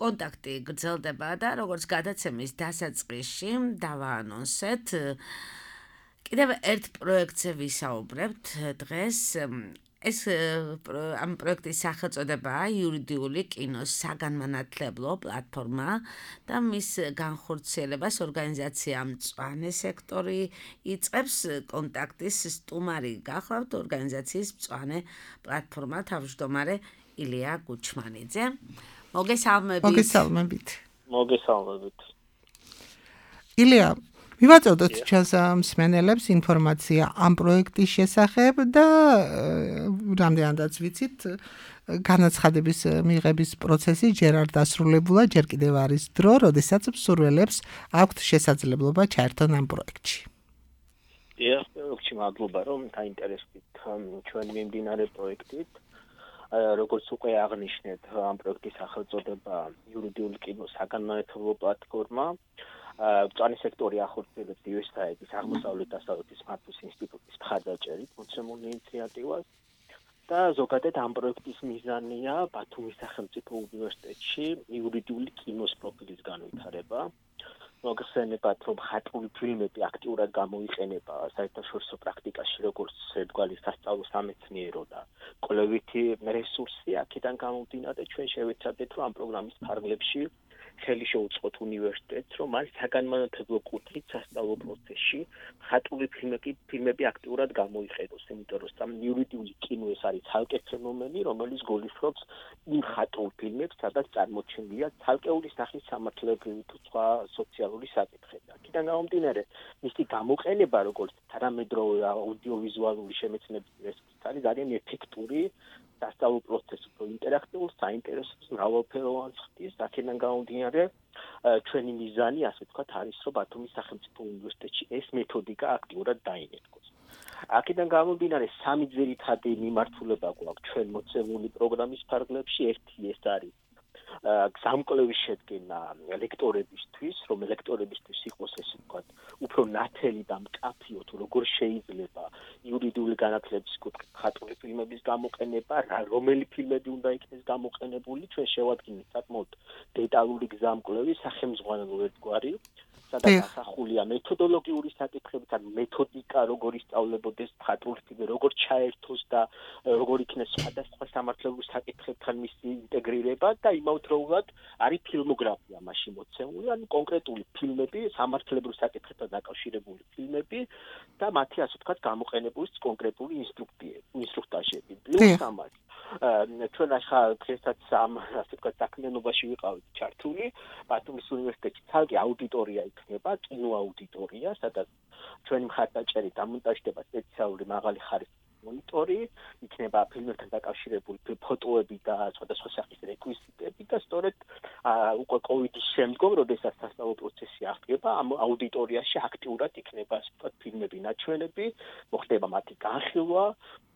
[SPEAKER 4] კონტაქტი გრძელდება და როგორც გადაცემის დასაწყისში დავაანონსეთ, კიდევ ერთ პროექტზე ვისაუბრებთ დღეს. ეს ამ პროექტის სახელწოდებაა იურიდიული კინოს საგანმანათლებლო პლატფორმა და მის განხორციელებას ორგანიზაცია მწვანე სექტორი იწყებს. კონტაქტის სტუმარი გახლავთ ორგანიზაციის მწვანე პლატფორმა თავმჯდომარე ილია გუჩმანიძე. მოგესალმებით.
[SPEAKER 5] მოგესალმებით.
[SPEAKER 9] მოგესალმებით.
[SPEAKER 5] ილია, მივაწოდოთ ჩვენს მსმენელებს ინფორმაცია ამ პროექტის შესახებ და რამდენადაც ვიცით, განაცხადების მიღების პროცესი ჯერ არ დასრულებულა, ჯერ კიდევ არის დრო, როდესაც მსურველებს აქვთ შესაძლებლობა ჩაერთონ ამ პროექტში.
[SPEAKER 9] დიახ, მადლობა რომ დაინტერესდით ჩვენ მიმდინარე პროექტით. როგორც უკვე აღნიშნეთ, ამ პროექტის სახელწოდება იურიდიული კინოს საგანმანათლებლო პლატფორმა. მწვანე სექტორი ახორციელებს იუ ეს აი დის აღმოსავლეთ დასავლეთის მართვის ინსტიტუტის მხარდაჭერით მოცემულ ინიციატივას და ზოგადად ამ პროექტის მიზანია ბათუმის სახელმწიფო უნივერსიტეტში იურიდიული კინოს პროფილის განვითარება. მოგხსენებათ, რომ ხატული ფილმები აქტიურად გამოიყენება საერთაშორისო პრაქტიკაში, როგორც ერთგვარი სასწავლო სამეცნიერო და კვლევითი რესურსი. აქედან გამომდინარე, ჩვენ შევეცადეთ, რომ ამ პროგრამის ფარგლებში ხელი შეუწყოთ უნივერსიტეტს, რომ არის საგანმანათლებლო კუთხით სასწავლო პროცესში მხატვრული ფილმები, ფილმები აქტიურად გამოიყენოს, იმიტომ რომ სამ იურიდიული კინო ეს არის ცალკე ფენომენი, რომელიც გულისხმობს იმ მხატვრულ ფილმებს, სადაც წარმოჩენილია ცალკეული სახის სამართლებრივი თუ სხვა სოციალური საკითხები. აქედან გამომდინარე, მისი გამოყენება როგორც თანამედროვე აუდიოვიზუალური შემეცნების რესურსი არის ძალიან ეფექტური სასწავლო პროცესი, უფრო ინტერაქტიულ, საინტერესო, მრავალფეროვანს ხდის. აქედან გამომდინარე, ჩვენი მიზანი, ასე ვთქვათ, არის, რომ ბათუმის სახელმწიფო უნივერსიტეტში ეს მეთოდიკა აქტიურად დაინერგოს. აქედან გამომდინარე, სამი ძირითადი მიმართულება გვაქვს ჩვენ მოცემული პროგრამის ფარგლებში. ერთი ეს არის გზამკვლევის შედგენა ლექტორებისთვის, რომ ლექტორებისთვის იყოს ესე ვთქვათ, უფრო ნათელი და მკაფიო თუ როგორ შეიძლება იურიდიული განათლების კუთხით მხატვრული ფილმების გამოყენება, რომელი ფილმები უნდა იქნეს გამოყენებული, ჩვენ შევადგინეთ საკმაოდ დეტალური გზამკვლევი, სახელმძღვანელო ერთგვარი, სადაც ასახულია მეთოდოლოგიური საკითხები, ან მეთოდიკა, როგორ ისწავლებოდეს მხატვრული ფილმი, როგორ ჩაერთოს და როგორ იქნეს სხვადასხვა სამართლებრივ საკითხებთან მისი ინტეგრირება და იმავდროულად არის ფილმოგრაფია მასში მოცემული, ანუ კონკრეტული ფილმები, სამართლებრივ საკითხებთან დაკავშირებული ფილმები და მათი ასე ვთქვათ გამოყენების კონკრეტული ინსტრუქტაჟები. პლუს ამას ჩვენ ახლა დღესაც ამ ასე ვთქვათ საქმიანობაში ვიყავით ჩართული, ბათუმის უნივერსიტეტში ცალკე აუდიტორია იქნება, კინოაუდიტორია, სადაც ჩვენი მხარდაჭერით დამონტაჟდება სპეციალური მაღალი ხარისხის მონიტორი, იქნება ფილმებთან დაკავშირებული ფოტოები და სხვადასხვა სახის რეკვიზიტები და სწორედ უკვე კოვიდის შემდგომ, როდესაც სასწავლო პროცესი აღდგება, ამ აუდიტორიაში აქტიურად იქნება ასე ვთქვათ ფილმები ნაჩვენები, მოხდება მათი განხილვა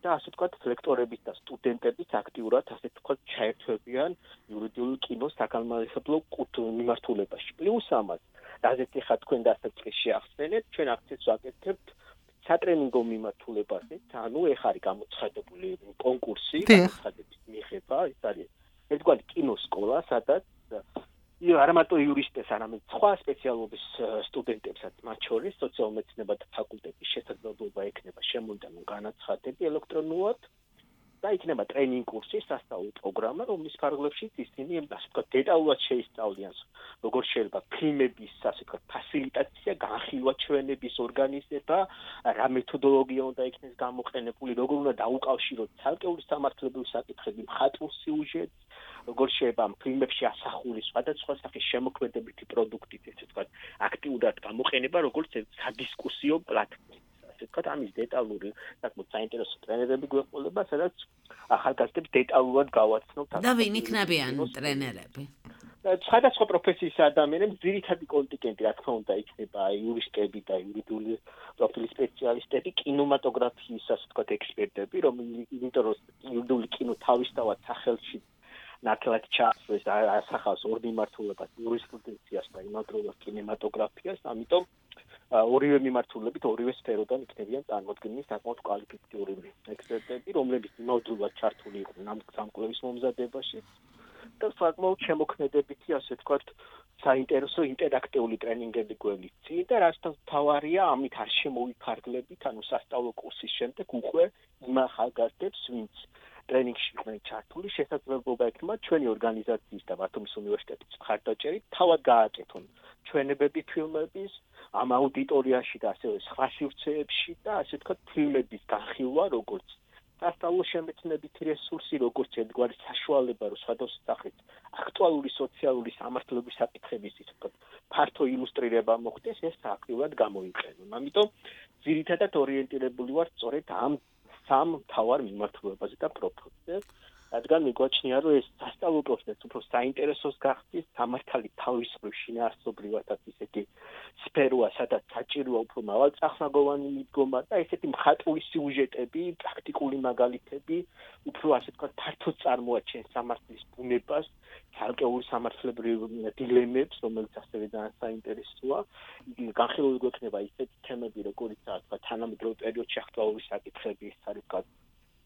[SPEAKER 9] და ასე ვთქვათ ლექტორების და სტუდენტების აქტიურად ასე ვთქვათ ჩაერთვებიან იურიდიული კინოს საგანმანათლებლო მიმართულებაში. პლუს ამას, რაზეც ახლა თქვენ დასაწყისში შეახსენეთ, ჩვენ აქცენტს ვაკეთებთ სატრენინგო მიმართულებაზე, ანუ ეხ არის გამოცხადებული კონკურსი, გამოცხადების მიღება, ეს არის ერთგვარი კინოსკოლა, სადაც არა მარტო იურისტებს, არამედ სხვა სპეციალობის სტუდენტებსაც, მათ შორის სოციალურ-მეცნიერებათა ფაკულტეტის შესაძლებლობა ექნება შემოდანო განაცხადები ელექტრონულად და იქნება ტრენინგ კურსი, სასწავლო პროგრამა, რომლის ფარგლებშიც ისინი ასე ვთქვათ დეტალურად შეისწავლიან, როგორ შეიძლება ფილმების ასე ვთქვათ ფასილიტაცია, განხილვა ჩვენების ორგანიზება, რა მეთოდოლოგია უნდა იქნეს გამოყენებული, როგორ უნდა დაუკავშიროთ ცალკეული სამართლებრივი საკითხები მხატვრულ სიუჟეტს, როგორ შეიძლება ამ ფილმებში ასახული სხვადასხვა სახის შემოქმედებითი პროდუქტით, ესე ვთქვათ, აქტიურად გამოყენება, როგორც სადისკუსიო პლატფორმა. ასე ვთქვათ, ამის დეტალური, საკმაოდ საინტერესო ტრენერები გვეყოლება, სადაც ახალგაზრდებს დეტალურად გავაცნობთ.
[SPEAKER 4] და ვინ იქნებიან ტრენერები?
[SPEAKER 9] სხვადასხვა პროფესიის ადამიანებს, ძირითადი კონტინგენტი, რა თქმა უნდა, იქნება იურისტები და იურიდიული პროფილის სპეციალისტები, კინემატოგრაფიის, ასე ვთქვათ, ექსპერტები, რომელიც იმიტომ რომ იურიდიული კინო თავისთავად სახელში ნათლად ჩაასვეს, ასახავს ორ მიმართულებას, იურისპრუდენციას და იმავდროულად კინემატოგრაფიას, ამიტომ ორივე მიმართულებით, ორივე სფეროდან იქნებიან წარმოდგენილი საკმაოდ კვალიფიციური ექსპერტები, რომლებიც იმავდროულად ჩართული იყვნენ ამ სამკვლევის მომზადებაში და საკმაოდ შემოქმედებითი, ასე ვთქვათ, საინტერესო ინტერაქტიული ტრენინგები გვევლიცი და რაც თავარია, ამით არ შემოვიფარგლებით, ანუ სასწავლო კურსის შემდეგ უკვე იმ ახალგაზრდებს, ვინც ტრენინგში იყვნენ ჩართული, შესაძლებლობა ექნება ჩვენი ორგანიზაციის და ბათუმის უნივერსიტეტის მხარდაჭერით თავად გააკეთონ ჩვენებები ფილმების ამ აუდიტორიაში და ასევე სხვა სივრცეებში და ასე ვთქვათ ფილმების განხილვა, როგორც სასწავლო შემეცნებითი რესურსი, როგორც ერთგვარი საშუალება, რომ სხვადასხვა სახის აქტუალური სოციალური სამართლების საკითხების ისე ვთქვათ ფართო ილუსტრირება მოხდეს, ეს აქტიურად გამოიყენონ. ამიტომ ძირითადად ორიენტირებული ვარ სწორედ ამ სამ მთავარ მიმართულებაზე და პროფილზე, რადგან მიგვაჩნია, რომ ეს სასწავლო პროცესი უფრო საინტერესოს გახდის, სამართალი თავის მხრივ შინაარსობრივადაც ისეთი სფეროა, სადაც საჭიროა უფრო მრავალწახნაგოვანი მიდგომა და ესეთი მხატვრული სიუჟეტები, პრაქტიკული მაგალითები, უფრო ასე ვთქვათ, ფართოდ წარმოაჩენს სამართლის ბუნებას, ცალკეულ სამართლებრივ დილემებს, რომელიც ასევე ძალიან საინტერესოა. განხილული გვექნება ისეთი თემები, როგორიცაა თქვა თანამედროვე პერიოდში აქტუალური საკითხები, ის არის ვთქვათ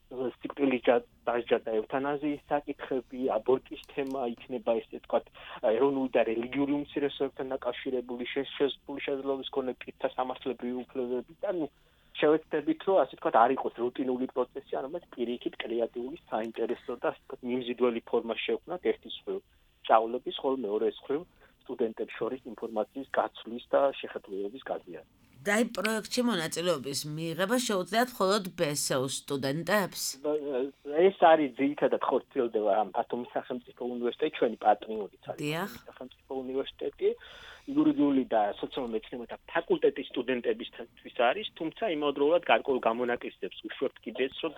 [SPEAKER 9] სიკვდილის დასჯა და ევთანაზიის საკითხები, აბორტის თემა იქნება ესე ვთქვათ ეროვნული და რელიგიური უმცირესობებთან დაკავშირებული შესაძლებელი შესაძლებლობის მქონე პირთა სამართლებრივი უფლებები და ნუ შევეცდებით, რომ ასე ვთქვათ არ იყოს რუტინული პროცესი, არამედ პირიქით კრეატიული, საინტერესო და ასე ვთქვათ მიმზიდველი ფორმა შევქმნათ ერთის მხრივ სწავლების, ხოლო მეორეს მხრივ სტუდენტებს შორის ინფორმაციის გაცვლის და შეხედულებების გაზიარება.
[SPEAKER 4] და აი პროექტში მონაწილეობის მიღება შეუძლიათ მხოლოდ ბესეუს სტუდენტებს?
[SPEAKER 9] ეს არის ძირითადად ხორციელდება ამ ბათუმის სახელმწიფო უნივერსიტეტი, ჩვენი პატრიონიც არის ბათუმის სახელმწიფო უნივერსიტეტი. იურიდიული და სოციალურ მეცნიერებათა ფაკულტეტის სტუდენტებისთვის არის, თუმცა იმავდროულად გარკვეულ გამონაკლისებს უშვებთ კიდეც, რომ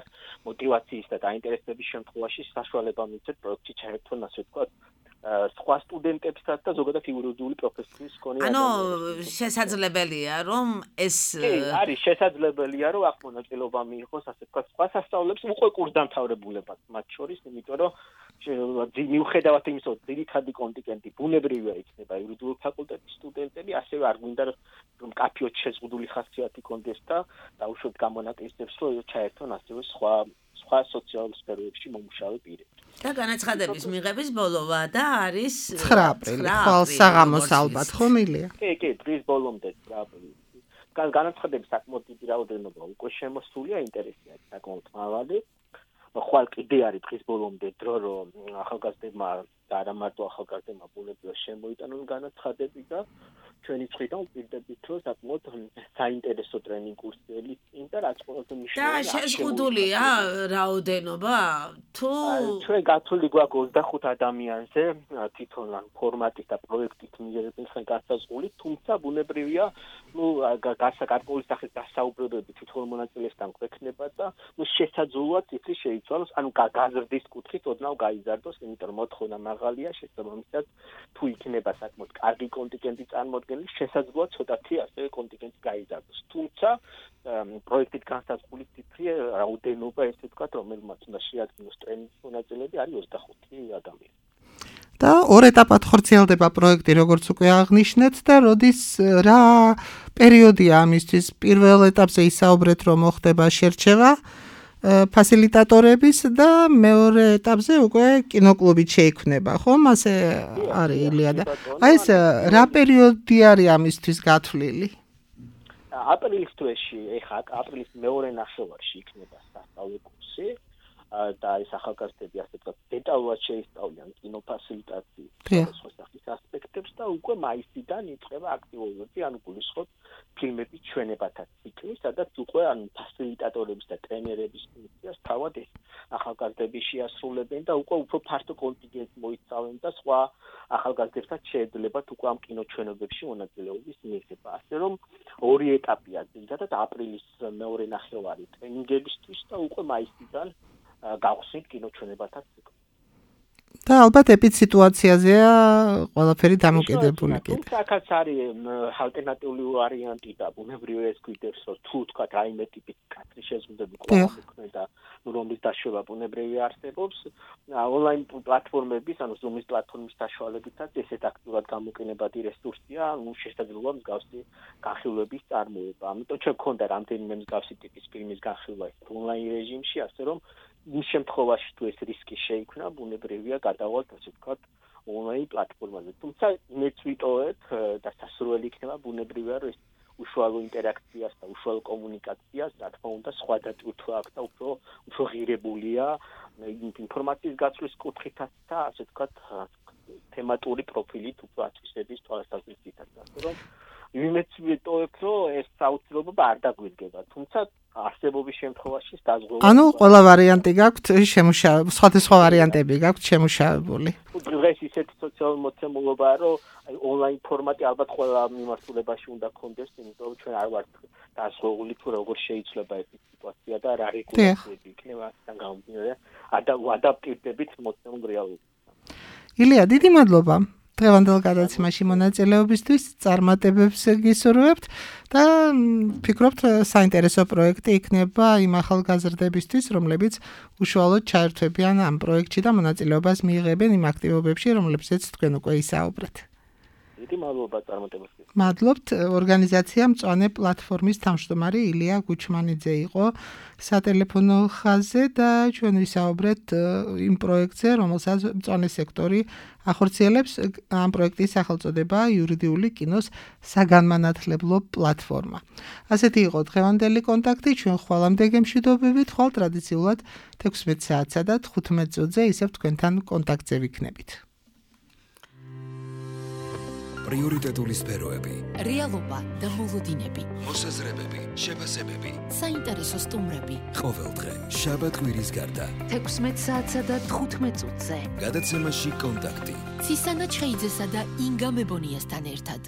[SPEAKER 9] მოტივაციის და დაინტერესების შემთხვევაში საშუალება მისცეთ პროექტში ჩაერთონ, ასე ვთქვათ, სხვა სტუდენტებსაც და ზოგადად იურიდიული პროფესიის მქონე
[SPEAKER 4] ადამიანებს. ანუ შესაძლებელია, რომ ეს
[SPEAKER 9] არის შესაძლებელია, რომ აქ მონაწილეობა მიიღოს, ასე ვთქვათ, სხვა სასწავლებლებს უკვე კურსდამთავრებულებად, მათ შორის, იმიტომ რომ მიუხედავად იმისა, რომ ძირითადი კონტინგენტი ბუნებრივია იქნება იურიდიული ფაკულტეტის სტუდენტები, ასევე არ გვინდა რომ კაფეოთ შეზღუდული ხასიათი კონდეს და დაუშვათ გამონაკლისებს, რომ ჩაერთონ ასევე სხვა სხვა სოციალურ სფეროებში მომუშავე პირები.
[SPEAKER 4] და განაცხადების მიღების ბოლოვა და არის
[SPEAKER 5] ცხრა აპრილი, ხვალ საღამოს ალბათ ხომ ილია?
[SPEAKER 9] კი, კი, დღის ბოლომდე ცხრა აპრილი. განაცხადების საკმაოდ დიდი რაოდენობა უკვე შემოსულია, ინტერესია საკმაოდ მაღალი. ხვალ კიდე არის დღის ბოლომდე დრო, რომ ახალგაზრდებმა და არა მარტო ახალგაზრდებმა ბუნებრივად შემოიტანონ განაცხადები და ჩვენი მხრიდან ვპირდებით, რომ საკმაოდ საინტერესო ტრენინგ კურსელი წინ და რაც ყველაზე მნიშვნელოვანია.
[SPEAKER 4] და შეზღუდულია რაოდენობა თუ
[SPEAKER 9] ჩვენ გათვლილი გვაქვს ოცდახუთ ადამიანზე თვითონ ან ფორმატით და პროექტით მიღებენ განსაზღვრული, თუმცა ბუნებრივია, ნუ გარკვეული სახის დასაუბრებლები თვითონ მონაწილესთან გვექნება და ნუ შესაძლოა ციფრი შეიცვალოს, ანუ გაზრდის კუთხით ოდნავ გაიზარდოს, იმიტომ რომ მოთხოვნა მაღალია, შესაბამისად თუ იქნება საკმაოდ კარგი კონტინგენტი წარმოდგენილი, შესაძლოა ცოტათი ასევე კონტინგენტი გაიზარდოს. თუმცა პროექტით განსაზღვრული ციფრი რაოდენობა, ესე ვთქვათ, რომელმაც უნდა შეადგინოს ტრენინგის მონაწილეები, არის ოცდახუთი ადამიანი.
[SPEAKER 5] და ორ ეტაპად ხორციელდება პროექტი, როგორც უკვე აღნიშნეთ და როდის რა პერიოდია ამისთვის? პირველ ეტაპზე ისაუბრეთ, რომ მოხდება შერჩევა ფასილიტატორების და მეორე ეტაპზე უკვე კინოკლუბი შეიქმნება, ხომ? ასე არის ილია და აი ეს რა პერიოდი არის ამისთვის გათვლილი?
[SPEAKER 9] აპრილის თვეში, ეხლა აპრილის მეორე ნახევარში იქნება სასწავლო კურსი და ეს ახალგაზრდები ასე ვთქვათ, დეტალურად შეისწავლიან კინოფასილიტაციის სხვა სახის ასპექტებს და უკვე მაისიდან იწყება აქტიურობები, ანუ გულისხმობ ფილმების ჩვენებათა ციკლი, სადაც უკვე ანუ ფასილიტატორების და ტრენერების ფუნქციას თავად ეს ახალგაზრდები შეასრულებენ და უკვე უფრო ფართო კონტინგენტს მოიცავენ და სხვა ახალგაზრდებსაც შეეძლებათ უკვე ამ კინოჩვენებებში მონაწილეობის მიღება. ასე რომ ორი ეტაპია, ძირითადად აპრილის მეორე ნახევარი ტრენინგებისთვის და უკვე მაისიდან გავხსნით კინოჩვენებათა ციკლი.
[SPEAKER 5] და ალბათ ეპიდ სიტუაციაზეა ყველაფერი დამოკიდებული კიდე.
[SPEAKER 9] თუმცა აქაც არის ალტერნატიული ვარიანტი და ბუნებრივია ეს გვიდევს, რომ თუ თქვა რაიმე ტიპის კადრი შეზღუდები გვაქვს და რომლის დაშვება ბუნებრივი არსებობს, ონლაინ პლატფორმების, ანუ Zoom-ის პლატფორმის საშუალებითაც ესეთ აქტიურად გამოყენებადი რესურსია, ну შესაძლოა მსგავსი განხილვების წარმოება. ამიტომ ჩვენ გქონდა რამდენიმე მსგავსი ტიპის ფილმის განხილვა ონლაინ რეჟიმში, ასე რომ იმ შემთხვევაში თუ ეს რისკი შეიქმნა, ბუნებრივია გადავალთ, ასე ვთქვათ, ონლაინ პლატფორმაზე. თუმცა იმეც ვიტოვებ და სასურველი იქნება ბუნებრივია, რომ ეს უშუალო ინტერაქციას და უშუალო კომუნიკაციას, რა თქმა უნდა, სხვა დატვირთვა აქვს და უფრო უფრო ღირებულია ინფორმაციის გაცვლის კუთხითაც და ასე ვთქვათ, თემატური პროფილით უფრო აწესების თვალსაზრისითაც. ასე რომ იმეც ვიტოვებ, რომ ეს საოცრობა არ დაგვიდგება, თუმცა არსებობის შემთხვევაში დაზღვევა.
[SPEAKER 5] ანუ ყველა ვარიანტი გაქვთ შემუშავებული, სხვადასხვა ვარიანტები გაქვთ შემუშავებული.
[SPEAKER 9] დღეს ისეთი სოციალური მოცემულობაა, რომ აი ონლაინ ფორმატი ალბათ ყველა მიმართულებაში უნდა გქონდეს, იმიტომ რომ ჩვენ არ ვართ დაზღვეული თუ როგორ შეიძლება ეს სიტუაცია და რა რეგულაციები იქნება ამან გამომდინარე ადაპტირდებით მოცემულ რეალობასთან.
[SPEAKER 5] ილია, დიდი მადლობა. დღევანდელ გადაცემაში მონაწილეობისთვის წარმატებებს გისურვებთ და ფიქრობთ საინტერესო პროექტი იქნება იმ ახალგაზრდებისთვის, რომლებიც უშუალოდ ჩაერთვებიან ამ პროექტში და მონაწილეობას მიიღებენ იმ აქტივობებში, რომლებზეც თქვენ უკვე ისაუბრეთ.
[SPEAKER 9] დიდი მადლობა წარმატებებს.
[SPEAKER 5] მადლობთ. ორგანიზაცია მწვანე პლატფორმის თავმჯდომარე ილია გუჩმანიძე იყო სატელეფონო ხაზზე და ჩვენ ვისაუბრეთ იმ პროექტზე, რომელსაც მწვანე სექტორი ახორციელებს. ამ პროექტის სახელწოდება იურიდიული კინოს საგანმანათლებლო პლატფორმა. ასეთი იყო დღევანდელი კონტაქტი. ჩვენ ხვალამდე გემშვიდობებით, ხვალ ტრადიციულად თექვსმეტ საათსა და თხუთმეტ წუთზე ისევ თქვენთან კონტაქტზე ვიქნებით.
[SPEAKER 1] პრიორიტეტული სფეროები,
[SPEAKER 2] რეალობა და მოლოდინები,
[SPEAKER 1] მოსაზრებები, შეფასებები,
[SPEAKER 2] საინტერესო სტუმრები.
[SPEAKER 1] ყოველდღე, შაბათ-კვირის გარდა.
[SPEAKER 3] თექვსმეტ საათსა და თხუთმეტ წუთზე.
[SPEAKER 1] გადაცემაში კონტაქტი.
[SPEAKER 2] ცისანა ჩხეიძესა და ინგა მებონიასთან ერთად.